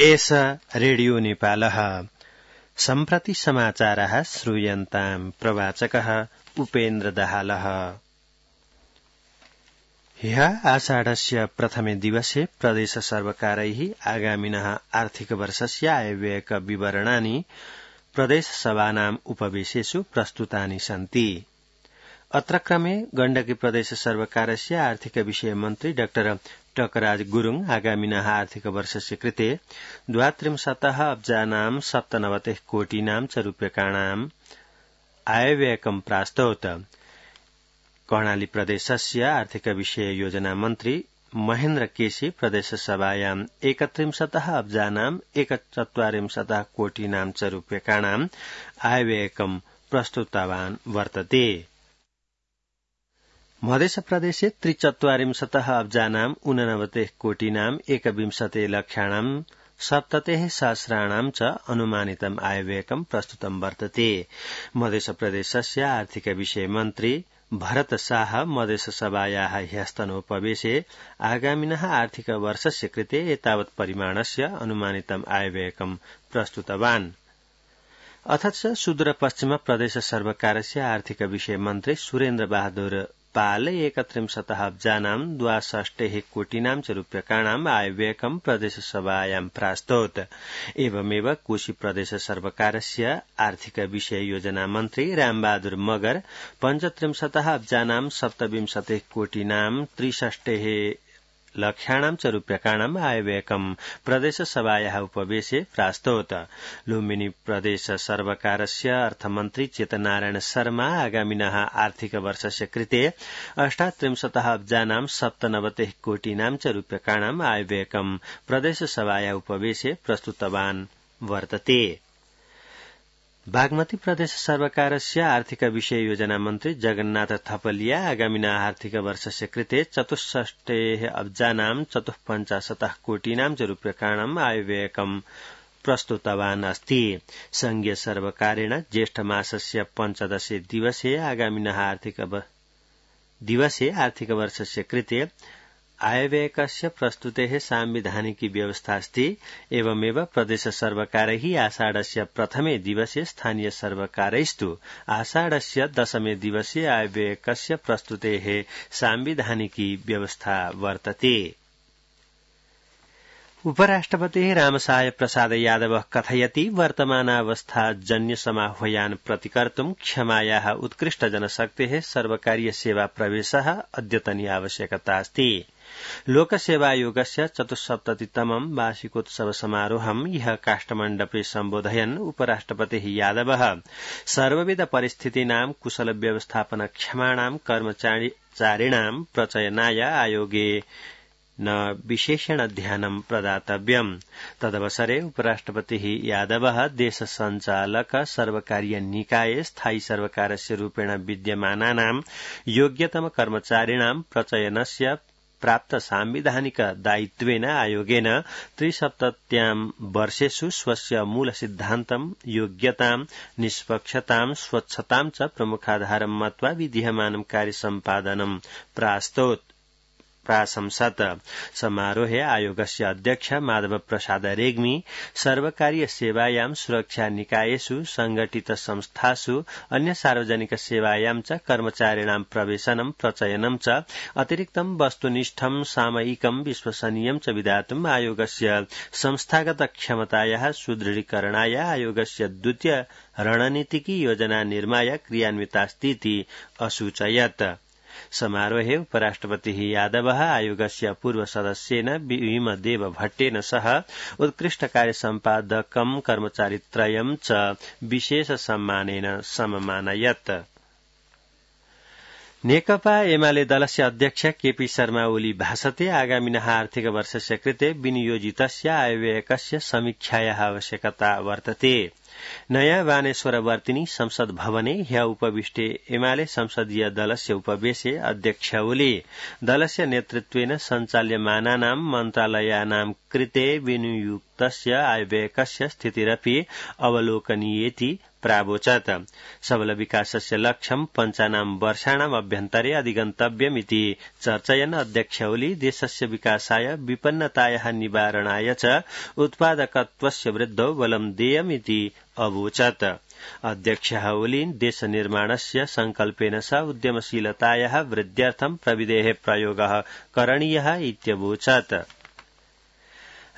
एषा रेडियो नेपालः सम्प्रति समाचारः श्रूयन्ताम् प्रवाचकः उपेन्द्र दाहालः। ह्यः आषाढस्य प्रथमे दिवसे प्रदेश सर्वकारैः आगामिनः आर्थिक वर्षस्य आयव्ययक विवरणानि प्रदेशसभानाम् उपवेशेषु प्रस्तुतानि सन्ति। अत्र क्रमे गण्डकी प्रदेश सर्वकारस्य आर्थिक विषय मन्त्री डाक्टर टकराज गुरुङ आगामिनः आर्थिक वर्षस्य कृते 32 अब्जानां 97 कोटिनां च रूप्यकाणाम् आयव्ययकं प्रास्तौत। कर्णाली प्रदेशस्य आर्थिक विषय योजना मन्त्री महेन्द्र केसी प्रदेशसभायां 31 अब्जानां 140 कोटिनां च रूप्यकाणाम् आयव्ययकं प्रस्तुतवान् वर्तते। मध्यप्रदेशे 43 अब्जानां 89 कोटिनां 21 लक्षाणां 70 सहस्राणां च अनुमानितम् आयव्ययकं प्रस्तुतं वर्तते। मध्यप्रदेशस्य आर्थिक विषय मन्त्री भरत शाह मध्यसभायाः ह्यस्तनोपवेशे आगामिनः आर्थिक वर्षस्य कृते एतावत् परिमाणस्य अनुमानितम् आयव्ययकं प्रस्तुतवान्। अथ च सुदूरपश्चिम प्रदेश सर्वकारस्य आर्थिक विषय मन्त्री सुरेन्द्र बहादुर पाल 31 अब्जानां 62 कोटिनां च रूप्यकाणाम् आयव्ययकं प्रदेशसभायां प्रास्तौत। एवमेव कोशी प्रदेश सर्वकारस्य आर्थिक विषय योजना मन्त्री रामबहादुर मगर 35 अब्जानां 27 कोटिनां 63 लक्षाणां च रूप्यकाणाम् आयव्ययकं प्रदेशसभायाः उपवेशे प्रास्तौत। लुम्बिनी प्रदेश सर्वकारस्य अर्थमन्त्री चेतनारायण शर्मा आगामिनः आर्थिक वर्षस्य कृते 38 अब्जानां 97 कोटिनां च रूप्यकाणाम् आयव्ययकं प्रदेशसभायाः उपवेशे प्रस्तुतवान् वर्तते। बागमती प्रदेश सर्वकारस्य आर्थिक विषय योजना मन्त्री जगन्नाथ थपलिया आगामिनः आर्थिक वर्षस्य कृते 64 अब्जानां 54 कोटिनां च रूप्यकाणाम् आयव्ययकं प्रस्तुतवान् अस्ति। संघीय सर्वकारेण ज्येष्ठ मासस्य 15 दिवसे आगामिनः आर्थिक वर्षस्य कृते आयव्ययकस्य प्रस्तुतेः सांविधानिकी व्यवस्था अस्ति। एवमेव प्रदेश सर्वकारैः आषाढस्य प्रथमे दिवसे स्थानीय सर्वकारैस्तु आषाढस्य दशमे दिवसे आयव्ययकस्य प्रस्तुतेः सांविधानिकी व्यवस्था वर्तते। उपराष्ट्रपतिः रामसाय प्रसाद यादवः कथयति वर्तमानावस्था जन्य समाह्वयान् प्रतिकर्तुं क्षमायाः उत्कृष्ट जनशक्तेः सर्वकारीय सेवा प्रवेशः अद्यतनी आवश्यकता अस्ति। लोकसेवायोगस्य 74तमं वार्षिकोत्सव समारोहं ह्यः काष्ठमण्डपे सम्बोधयन् उपराष्ट्रपतिः यादवः सर्वविध परिस्थितीनां कुशल व्यवस्थापन क्षमाणां कर्मचारिणां प्रचयनाय आयोगे न विशेषण ध्यानं प्रदातव्यम्। तदवसरे उपराष्ट्रपतिः यादवः देश संचालक सर्वकारीय निकाये स्थायी सर्वकारस्य रूपेण विद्यमानानां योग्यतम कर्मचारिणां प्रचयनस्य प्राप्त सांविधानिक दायित्वेन आयोगेन 370 वर्षेषु स्वस्य मूल सिद्धान्तं योग्यतां निष्पक्षतां स्वच्छतां च प्रमुखाधारं मत्वा विधीयमानं कार्यसम्पादनं प्राशंसत। समारोहे आयोगस्य अध्यक्ष माधव प्रसाद रेग्मी सर्वकारीय सेवायां सुरक्षा निकायेषु संगठित संस्थासु अन्य सार्वजनिक सेवायां च कर्मचारिणां प्रवेशनं प्रचयनं च अतिरिक्तं वस्तुनिष्ठं सामयिकं विश्वसनीयं च विधातुम् आयोगस्य संस्थागत क्षमतायाः सुदृढीकरणाय आयोगस्य द्वितीय रणनीतिकी योजना निर्माय क्रियान्वितास्तीति असूचयत्। समारोहे उपराष्ट्रपतिः यादवः आयोगस्य पूर्व सदस्येन भीमदेव भट्टेन सह उत्कृष्ट कार्यसम्पादकं कर्मचारित्रयं च विशेष सम्मानेन सममानयत्। नेकपा एमाले दलस्य अध्यक्ष केपी शर्मा ओली भाषते आगामिनः आर्थिक वर्षस्य कृते विनियोजितस्य आयव्ययकस्य समीक्षायाः आवश्यकता वर्तते। नयाँ बानेश्वरवर्तिनी संसद भवने ह्य उपविष्टे एमाले संसदीय दलस्य उपवेशे अध्यक्ष ओली दलस्य नेतृत्वेन सञ्चाल्यमानानां मन्त्रालयानां कृते विनियुक्तस्य आयव्ययकस्य स्थितिरपि अवलोकनीयेति प्रावोचत्। सबल विकासस्य लक्ष्यं 95 वर्षाणाम् अभ्यन्तरे अधिगन्तव्यमिति चर्चयन् अध्यक्ष ओली देशस्य विकासाय विपन्नतायाः निवारणाय च उत्पादकत्वस्य वृद्धौ बलं देयमिति अवोचत्। अध्यक्षः ओली देशनिर्माणस्य संकल्पेन सह उद्यमशीलतायाः वृद्ध्यर्थं प्रविधेः प्रयोगः करणीयः इत्यवोचत्।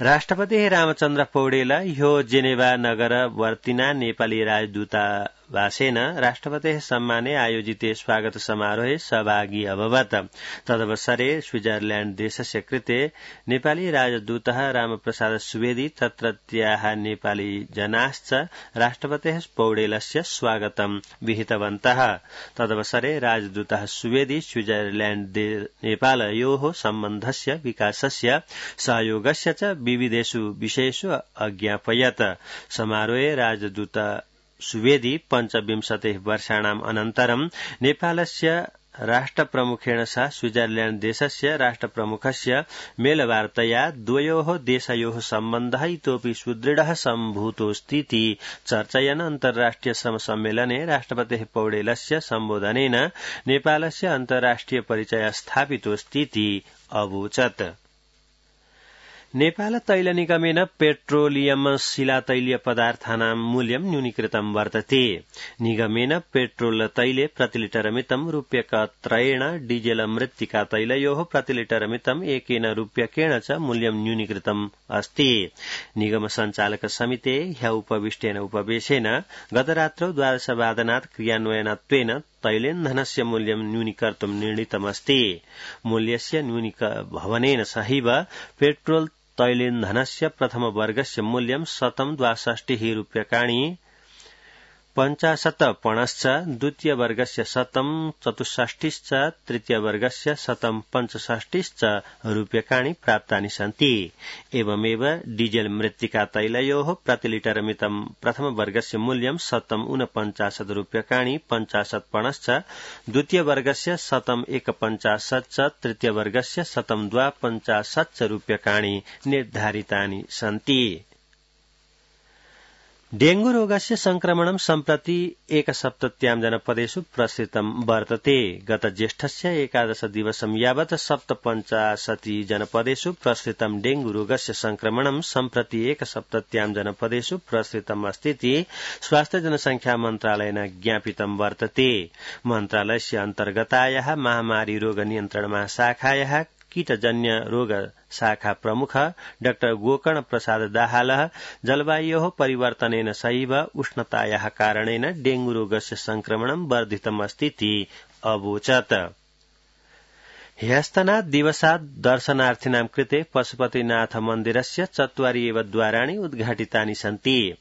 राष्ट्रपतिः रामचन्द्र पौडेल ह्यो जेनेवा नगरवर्तिना नेपाली राजदूतावासेन राष्ट्रपतेः सम्माने आयोजिते स्वागत समारोहे सहभागी अभवत्। तदवसरे स्विट्जरलैण्ड देशस्य कृते नेपाली राजदूतः रामप्रसाद सुवेदी तत्रत्याः नेपाली जनाश्च राष्ट्रपतेः पौडेलस्य स्वागतं विहितवन्तः। तदवसरे राजदूतः सुवेदी स्विट्जरलैण्ड नेपालयोः सम्बन्धस्य विकासस्य सहयोगस्य च विविधेषु विषयेषु अज्ञापयत्। समारोहे राजदूत सुवेदी 25 वर्षाणाम् अनन्तरं नेपालस्य राष्ट्रप्रमुखेण सह स्विट्जरलैण्ड देशस्य राष्ट्रप्रमुखस्य मेलवार्तया द्वयोः देशयोः सम्बन्धः इतोपि सुदृढः सम्भूतोऽस्तीति चर्चयन् अन्तर्राष्ट्रिय श्रम सम्मेलने राष्ट्रपतेः पौडेलस्य सम्बोधनेन नेपालस्य अन्तर्राष्ट्रिय परिचयः स्थापितोऽस्तीति अवोचत्। नेपाल तैल निगमेन पेट्रोलियम शिलातैलीय पदार्थानां मूल्यं न्यूनीकृतं वर्तते। निगमेन पेट्रोल तैले प्रतिलिटरमितं रूप्यकत्रयेण डीजेल मृत्तिका तैलयोः प्रतिलिटरमितं एकेन रूप्यकेण च मूल्यं न्यूनीकृतम् अस्ति। निगम संचालक समिते ह्य उपविष्टेन उपवेशेन गतरात्रौ 12 वादनात् क्रियान्वयनत्वेन तैलेन्धनस्य मूल्यं न्यूनीकर्तुं निर्णीतमस्ति। मूल्यस्य न्यूनीभवनेन सहैव पेट्रोल तैलेन्धनस्य प्रथम वर्गस्य मूल्यं 162 रूप्यकाणि 50 पणश्च, द्वितीय वर्गस्य 164 तृतीय वर्गस्य 165 रूप्यकाणि प्राप्तानि सन्ति। एवमेव डीजेल मृत्तिका तैलयोः प्रतिलिटरमितं प्रथम वर्गस्य मूल्यं 149 रूप्यकाणि 50 पणश्च, द्वितीय वर्गस्य 151 तृतीय वर्गस्य 152 रूप्यकाणि निर्धारितानि सन्ति। डेंगू रोगस्य संक्रमणं सम्प्रति एकसप्तत्यां जनपदेषु प्रसृतं वर्तते। गत ज्येष्ठस्य 11 दिवसं यावत् 57 जनपदेषु प्रसृतं डेंगू रोगस्य संक्रमणं सम्प्रति एकसप्तत्यां जनपदेषु प्रसृतम् अस्तीति स्वास्थ्य जनसंख्या मन्त्रालयेन ज्ञापितं वर्तते। मन्त्रालयस्य अन्तर्गतायाः महामारी रोग नियन्त्रण महाशाखायाः कीटजन्य रोग शाखा प्रमुख डाक्टर गोकर्ण प्रसाद दाहालः जलवायोः परिवर्तनेन सहैव उष्णतायाः कारणेन डेंगू रोगस्य संक्रमणं वर्धितमस्तीति अवोचत्। ह्यस्तनात् दिवसात् दर्शनार्थिनां कृते पशुपतिनाथ मन्दिरस्य 4 एव द्वाराणि उद्घाटितानि सन्ति।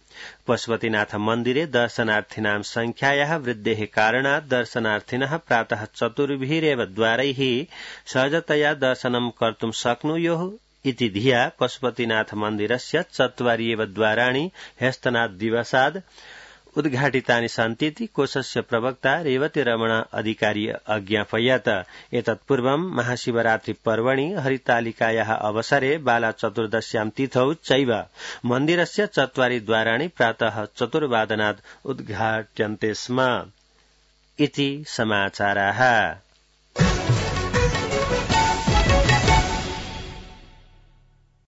पशुपतिनाथ मन्दिरे दर्शनार्थिनां संख्यायाः वृद्धेः कारणात् दर्शनार्थिनः प्रातः 4 द्वारैः सहजतया दर्शनं कर्तुं शक्नुयुः इति धिया पशुपतिनाथ मन्दिरस्य 4 एव द्वाराणि ह्यस्तनात् दिवसात् उद्घाटितानि सन्तीति कोषस्य प्रवक्ता रेवती रमण अधिकारी अज्ञापयत्। एतत्पूर्वं महाशिवरात्रि पर्वणि हरितालिकायाः अवसरे बाला चतुर्दश्यां तिथौ चैव मन्दिरस्य 4 द्वाराणि प्रातः 4 वादनात् उद्घाट्यन्ते स्म इति समाचाराः।